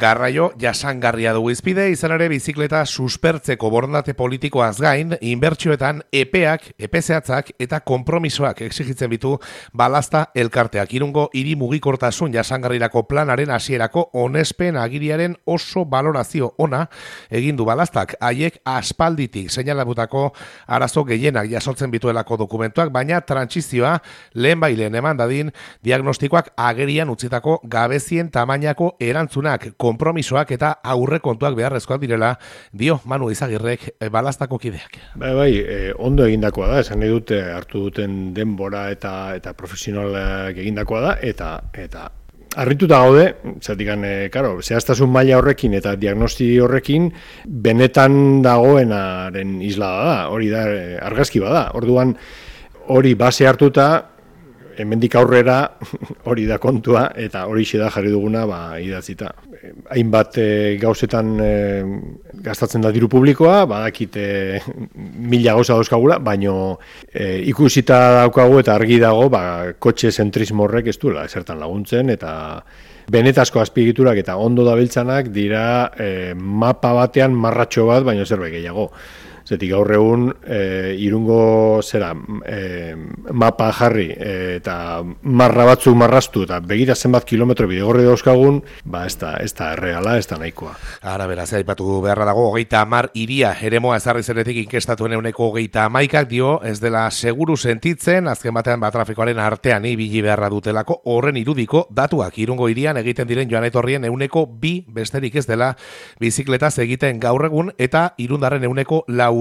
Garraio jasangarria dugu izpide, izan ere bizikleta suspertzeko borondate politikoaz gain, inbertsioetan epe zehatzak eta konpromisoak exigitzen bitu Balazta elkarteak. Irungo hiri mugikortasun jasangarrirako planaren hasierako onespen agiriaren oso balorazio ona egin du Balaztak. Haiek aspalditik seinalabutako arazo gehienak jasotzen bituelako dokumentuak, baina trantsizioa lehenbailen eman dadin diagnostikoak agerian utzitako gabezien tamainako erantzunak, konpromisoak eta aurrekontuak beharrezkoak direla, dio Manu Izagirrek Balaztako kideak. Ondo egindakoa da, esan nahi dute hartu duten denbora eta profesionalak egindakoa da, eta harrituta gaude, zehaztasun maila horrekin eta diagnosti horrekin benetan dagoenaren islada da, hori da argazki bada. Orduan hori base hartuta, hemendik aurrera hori da kontua eta hori da jarri duguna idatzita. Hainbat gauzetan gastatzen da diru publikoa, badakit 1000 gauza dauzkagula, baino ikusita daukagu eta argi dago kotxe zentrismo horrek ez duela ezertan laguntzen eta benetazko azpiegiturak eta ondo dabiltzanak dira mapa batean marratxo bat, baino zerbait gehiago. Zetik gaur egun Irungo mapa jarri eta marra batzuk marraztu eta begira zenbat kilometro bidegorri dauzkagun, ez da erreala, ez da nahikoa. Ara beraz, aipatu beharra dago, 30 hiria eremoa ezarri zenetik inkestatuen 31%, dio ez dela seguru sentitzen, azken batean trafikoaren artean ibili beharra dutelako, horren irudiko datuak Irungo hirian egiten diren joan etorrien 2% besterik ez dela bizikletaz egiten gaur egun eta Irundarren 95%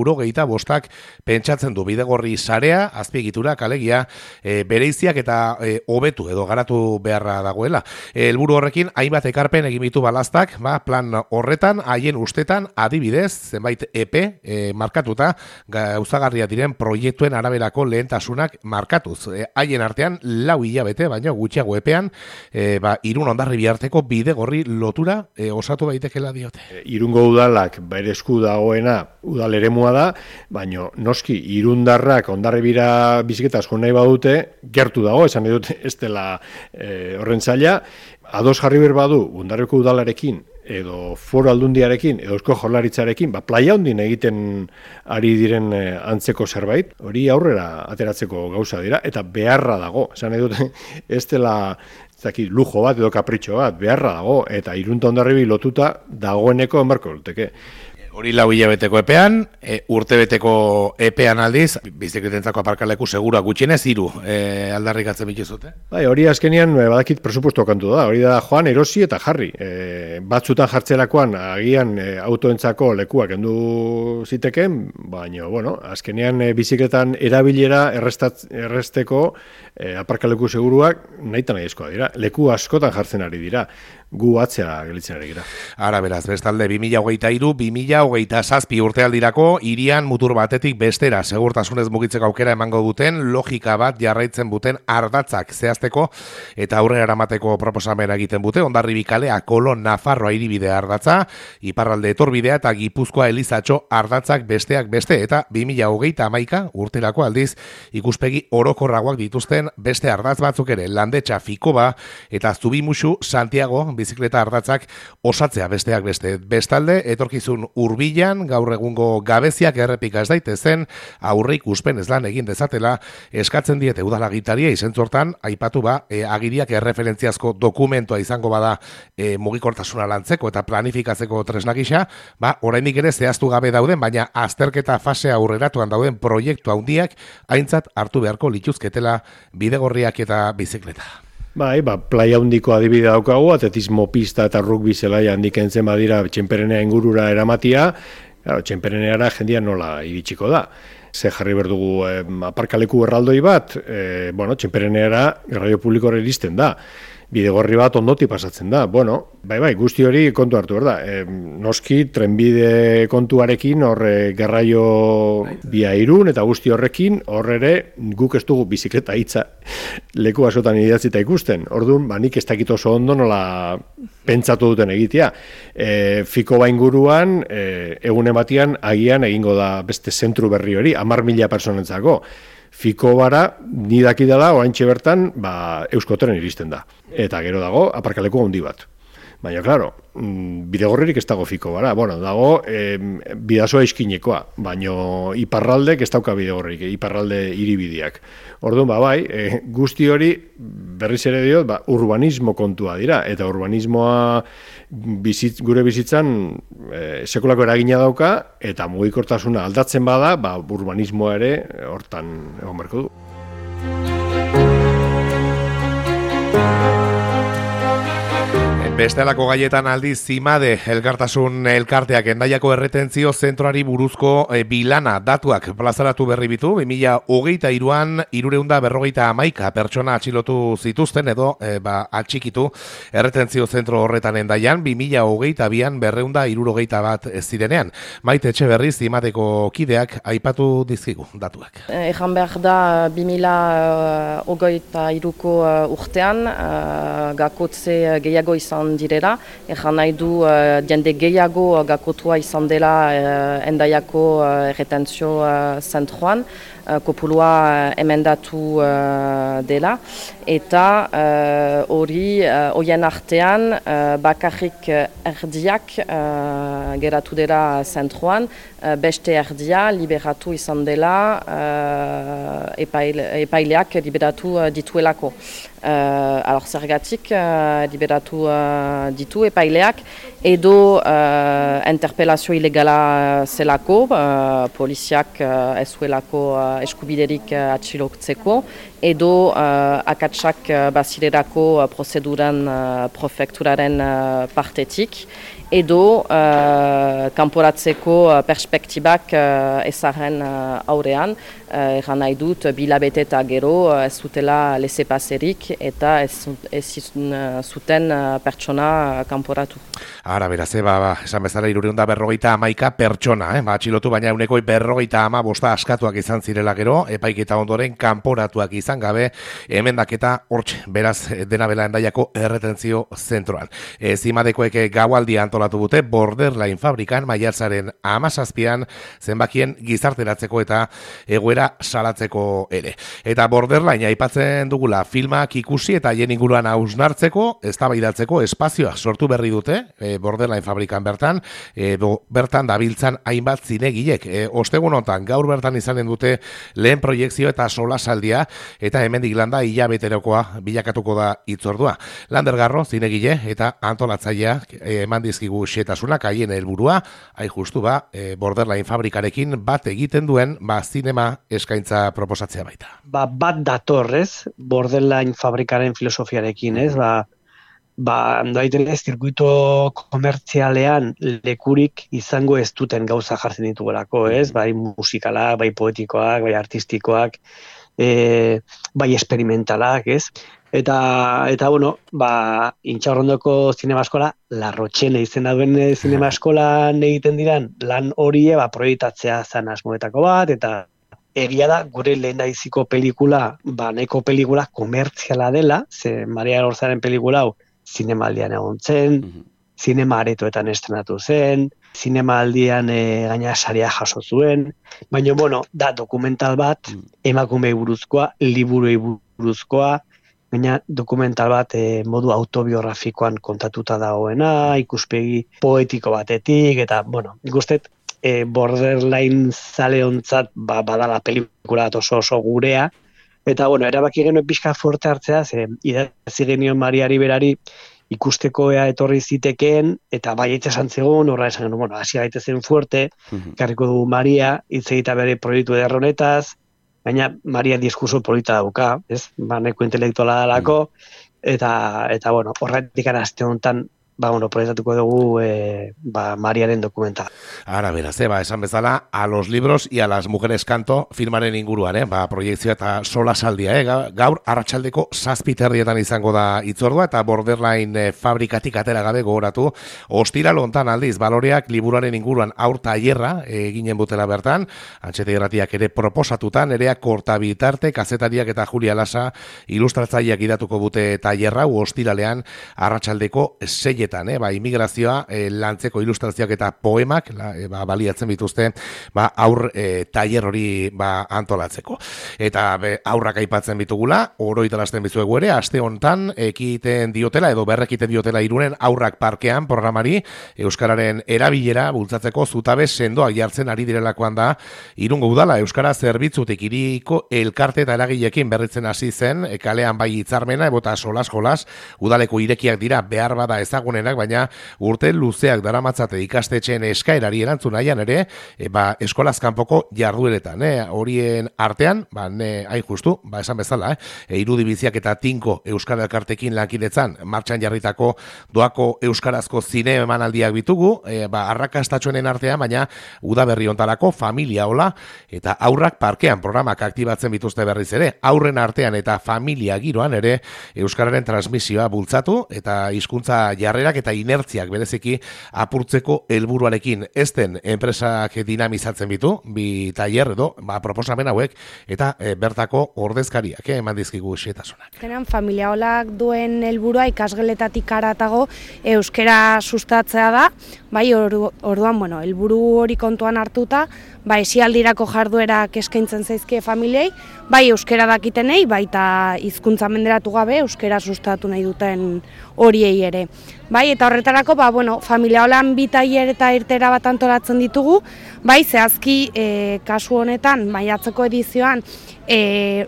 pentsatzen du bidegorri sarea, azpiegiturak alegia bereiziak eta hobetu edo garatu beharra dagoela. Helburu horrekin hainbat ekarpen egin ditu Balaztak, plan horretan haien ustetan adibidez zenbait epe markatuta gauzagarria diren proiektuen araberako lehentasunak markatuz. Haien artean 4 hilabete baino gutxiago epean Irun Hondarribia arteko bidegorri lotura osatu baitekela diote. Irungo udalak bere esku dagoena udal eremua da, baino noski Irundarrak Hondarribira bizikletaz jo nahi badute, gertu dago, esan nahi dut ez dela horren zaila, ados jarri behar badu Hondarribiko udalarekin edo Foru Aldundiarekin edo Eusko Jaurlaritzarekin, playa hondin egiten ari diren antzeko zerbait, hori aurrera ateratzeko gauza dira, eta beharra dago, esan nahi dut ez dela lujo bat edo kapritxo bat, beharra dago, eta Irun eta Hondarribi lotuta dagoeneko enbarko luteke. Hori 4 hilabeteko epean, urtebeteko epean aldiz, bizikletentzako aparkaleku segura gutxienez 3 aldarrikatzen bituzute. Hori azkenean badakit presupuesto kantu da, hori da joan erosi eta jarri. Batzutan jartzerakoan agian autoentzako lekuak kendu ziteken, baina azkenean bizikletan erabilera erresteko aparkaleku seguruak nahita nahi eskoa dira. Leku askotan jartzen ari dira. Gu atzera gelitzen ari gira. Ara beraz, bestalde 2023-2027 urtealdirako hirian mutur batetik bestera segurtasunez mugitzeko aukera emango duten logika bat jarraitzen duten ardatzak zehazteko eta aurrera eramateko proposamena egiten dute. Hondarribi kalea Kolon Nafarroa hiribidea ardatza, iparralde etorbidea eta Gipuzkoa Elizatxo ardatzak besteak beste eta 2031 urterako aldiz ikuspegi orokorragoak dituzten beste ardatz batzuk ere, Landetxa Fikoba eta Zubimuxu Santiago bizikleta ardatzak osatzea besteak beste. Bestalde, etorkizun hurbilan gaur egungo gabeziak errepika ez daitezen aurre ikuspen lan egin dezatela eskatzen diete udalagitaria izentzortan aipatu agiriak erreferentziazko dokumentua izango bada mugikortasuna lantzeko eta planifikatzeko tresna gisa, oraindik ere zehaztu gabe dauden, baina azterketa fase aurreratuan dauden proiektu handiak aintzat hartu beharko lituzketela bidegorriak eta bizikleta. Playa handiko adibide daukagu, atletismo pista eta rugby zelaia handik entzen badira Txenperenea ingurura eramatia, Txenpereneara jendia nola iritsiko da. Ze jarri berdugu aparkaleku erraldoi bat, Txenpereneara garraio publikoa iristen da. Bidegorri bat ondoti pasatzen da. Guzti hori kontu hartu behar da. Noski, trenbide kontuarekin, garraio bia Irun eta guzti horrekin, ere guk ez dugu bizikleta hitza leku askotan idatzita ikusten. Orduan, nik ez dakit oso ondo nola pentsatu duten egitea. Fikoba inguruan, egun ematian, agian egingo da beste zentru berri hori, 10.000 personentzako. Fikobara, ni dakidala, oraintxe bertan, Euskotren iristen da. Eta gero dago, aparkaleko handi bat. Baina, klaro, bidegorririk ez dago fiko gara. Bueno, dago bidasoa iskinekoa, baina iparraldek ez dauka bidegorririk, iparralde hiribideak. Orduan, bai, guzti hori, berriz ere diot, urbanismo kontua dira, eta urbanismoa gure bizitzan sekulako eragina dauka, eta mugikortasuna aldatzen bada, urbanismoa ere hortan egon beharko du. Bestelako gaietan aldiz Zimade elkartasun elkarteak Hendaiako erretentzio zentroari buruzko bilana datuak plazaratu berri bitu. 2023an 351 pertsona atxilotu zituzten edo atxikitu erretentzio zentro horretan Hendaian 2022an 261 zirenean. Maite Etxeberri Zimadeko kideak aipatu dizkigu datuak. Ejan behar da 2023ko urtean gakotze gehiago izan direla, ejan nahi du jende gehiago gakotua izan dela Hendaiako erretentzio zentroan, kopulua emendatu dela, eta horien artean bakarrik erdiak geratu dela zentroan, beste erdia liberatu izan dela epaileak liberatu dituelako. Zergatik liberatu ditu epaileak edo interpelazio ilegala zelako, poliziak ez zuelako eskubiderik atxilotzeko, edo akatsak bazirerako prozeduran prefekturaren partetik, edo kanporatzeko perspektibak ezaren aurrean, eran nahi dut bilabete eta gero ez zutela lezepazerik eta ez zuten pertsona kanporatu. Ara, beraz, esan bezala 351 pertsona, atxilotu, baina euneko 250 askatuak izan zirela gero, epaiketa ondoren kanporatuak izan gabe, emendaketa hortxe, beraz, dena bela Hendaiako erretentzio zentroan. Zimadekoek gaualdia antolatu dute Borderline fabrikan maiatzaren 17an zenbakien gizarteratzeko eta egoera salatzeko ere. Eta Borderline aipatzen dugula filmak ikusi eta haien inguruan hausnartzeko, eztabaidatzeko espazioa sortu berri dute, Borderline fabrikan bertan, bertan dabiltzan hainbat zinegilek. Ostegun honetan gaur bertan izanen dute lehen proiekzio eta solasaldia, eta hemendik landa hilabeterokoa bilakatuko da hitzordua. Lander Garro zinegile eta antolatzailea eman dizkigu xetasunak haien helburua, hain justu Borderline fabrikarekin bat egiten duen zinema eskaintza proposatzea baita. Bat datorrez Borderline fabrikaren filosofiarekin, ez? Zirkuito komertzialean lekurik izango ez duten gauza jartzen ditugelako, ez? Bai musikalak, bai poetikoak, bai artistikoak, bai experimentalak, ez? Eta Intxaurrondoko zinema eskola, La Rochelle izena duen zinema eskolan egiten diran lan horie proiektatzea zan asmoetako bat, eta egia da, gure lehendabiziko pelikula, nahiko pelikula komertziala dela, ze Maria Lorzaren pelikula hau zinemaldian egon zen, zinema aretoetan estrenatu zen, zinemaldian gaina saria jaso zuen, baina, da dokumental bat, emakumei buruzkoa, liburuei buruzkoa, baina dokumental bat modu autobiografikoan kontatuta dagoena, ikuspegi poetiko batetik, eta, nik uste, Borderline zaleontzat badala pelikula oso gurea, eta, erabaki genuen pixka fuerte hartzea, idatzi genion Mariari berari ikusteko ea etorri zitekeen, eta baietz esan zegoen, horra esan genuen, hasi gaitezen fuerte, karriko du Maria, hitz egita bere proiektu eder honetaz, baina Maria diskurso polita dauka, ez? Neko intelektuala dalako, eta horretik arazte honetan, proiektatuko dugu Mariaren dokumentala. Ara, beraz, esan bezala, a los libros y a las mujeres canto filmaren inguruan, proiektzioa eta solasaldia, gaur arratsaldeko 7:00 izango da hitzordua, eta Borderline fabrikatik atera gabe gogoratu, ostiral hontan aldiz, baloreak liburuaren inguruan aur tailerra eginen butela bertan, Antxete Irratiak ere proposatutan, Nerea Kortabitarte, kazetariak eta Julia Lasa ilustratzaileak idatuko bute tailerra, ostiralean arratsaldeko 6 garaietan, immigrazioa lantzeko ilustrazioak eta poemak baliatzen bituzte aur tailer hori antolatzeko. Eta aurrak aipatzen bitugula, oroitalasten bizuegu ere, aste hontan ekiten diotela edo berrekiten diotela Irunen aurrak parkean programari euskararen erabilera bultzatzeko zutabe sendoak jartzen ari direlakoan da Irungo udala euskara zerbitzutik hiriko elkarte eta eragileekin berritzen hasi zen, kalean bai hitzarmena ebota solas udaleko irekiak dira behar bada ezagunenak, baina urte luzeak daramatzate ikastetxeen eskaerari erantzun nahian ere, eskolaz kanpoko jardueretan, horien artean, hain justu, esan bezala, irudibiziak eta tinko euskara elkartekin lankidetzan martxan jarritako doako euskarazko zine emanaldiak bitugu, arrakastatxoenen artean, baina udaberri hontarako familia hola eta aurrak parkean programak aktibatzen bituzte berriz ere, aurren artean eta familia giroan ere euskararen transmisioa bultzatu eta hizkuntza jarrerak eta inertziak bereziki apurtzeko helburuarekin. Ezten enpresak dinamizatzen bitu, bi tailer edo proposamen hauek eta bertako ordezkariak eman dizkigu xehetasunak. Familia holak duen helburua ikasgeletatik haratago euskara sustatzea da, orduan, helburu hori kontuan hartuta, esialdirako jarduerak eskaintzen zaizkie familiei, euskara dakitenei, baita hizkuntza menderatu gabe euskara sustatu nahi duten horiei ere. Eta horretarako, familia holan bi tailer eta irtera bat antolatzen ditugu, zehazki kasu honetan, maiatzeko edizioan,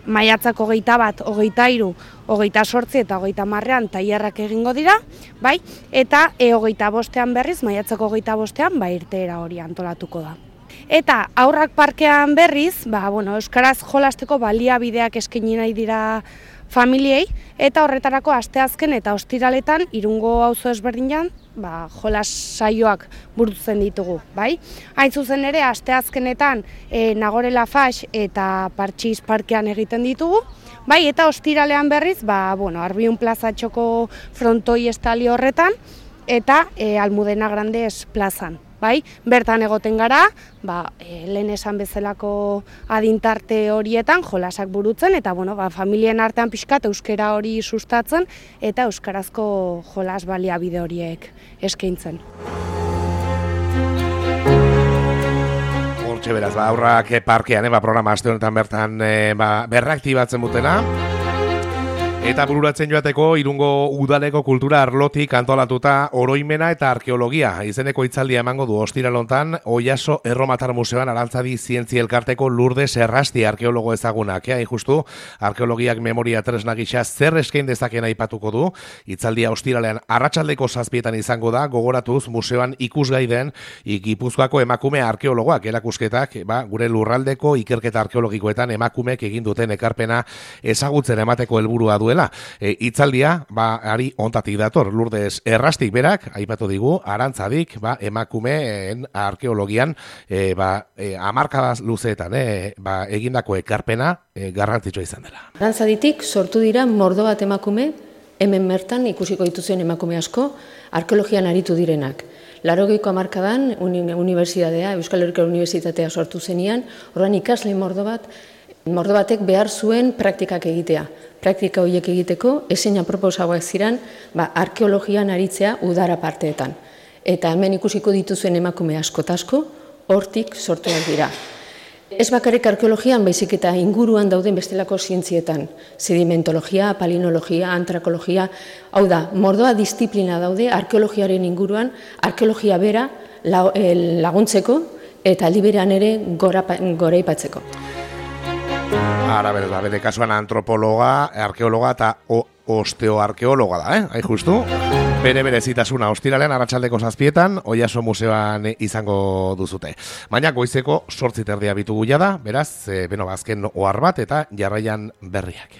maiatzako 21, 23, 28 eta 30 tailerrak egingo dira, eta 25ean berriz, maiatzako 25ean, irteera hori antolatuko da. Eta aurrak parkean berriz, euskaraz jolasteko baliabideak eskaini nahi dira familiei, eta horretarako asteazken eta ostiraletan Irungo auzo ezberdinean jolas saioak burutzen ditugu, Hain zuzen ere, asteazkenetan Nagore Lafax eta Partxiz parkean egiten ditugu, eta ostiralean berriz, Arbiun plazatxoko frontoi estali horretan, eta Almudena Grandes plazan. Bertan egoten gara, lehen esan bezalako adintarte horietan jolasak burutzen, eta familien artean pixkat euskara hori sustatzen, eta euskarazko jolas baliabide horiek eskaintzen. Hortxe beraz, aurrak parkean, programa aste honetan bertan berraktibatzen butena. Eta bururatzen joateko Irungo udaleko kultura arlotik antolatuta oroimena eta arkeologia. Izeneko hitzaldia emango du ostiralontan Oiaso Erromatar Museoan Arantzadi Zientzia Elkarteko Lourdes Errasti arkeologo ezagunak. Justu, arkeologiak memoria tresna gisa zer eskain dezakeen aipatuko du. Hitzaldia ostiralean arratsaldeko 7etan izango da, gogoratuz museoan ikusgai den Gipuzkoako emakume arkeologoak erakusketak, gure lurraldeko ikerketa arkeologikoetan emakumeek egin duten ekarpena ezagutzen emateko helburua duela. Hitzaldia, ari ontatik dator, Lourdes Errastik berak, aipatu digu, Arantzadik, emakumeen arkeologian, hamarkada luzeetan, egindako ekarpena garrantzitsua izan dela. Arantzaditik sortu dira mordo bat emakume, hemen bertan ikusiko dituzuen emakume asko, arkeologian aritu direnak. 80ko hamarkadan unibertsitatea, Euskal Herriko Unibertsitatea sortu zenian, horren ikasle mordo batek behar zuen praktikak egitea. Praktika horiek egiteko, ezeina proposagoak ziren, arkeologian aritzea udara parteetan. Eta hemen ikusiko dituzuen emakume asko-tasko, hortik sortuak dira. Ez bakarrik arkeologian, baizik eta inguruan dauden bestelako zientzietan. Sedimentologia, palinologia, antrakologia, hau da, mordoa disiplina daude arkeologiaren inguruan, arkeologia bera laguntzeko eta aldi berean ere goraipatzeko. Ara, bere kasuan antropologa, arkeologa eta osteoarkeologa da, hain justu. Bere zitasuna ostiralean arratsaldeko 7etan Oiaso Museoan izango duzute. Baina goizeko 8:30 bitugu jada, beraz, azken ohar bat eta jarraian berriak.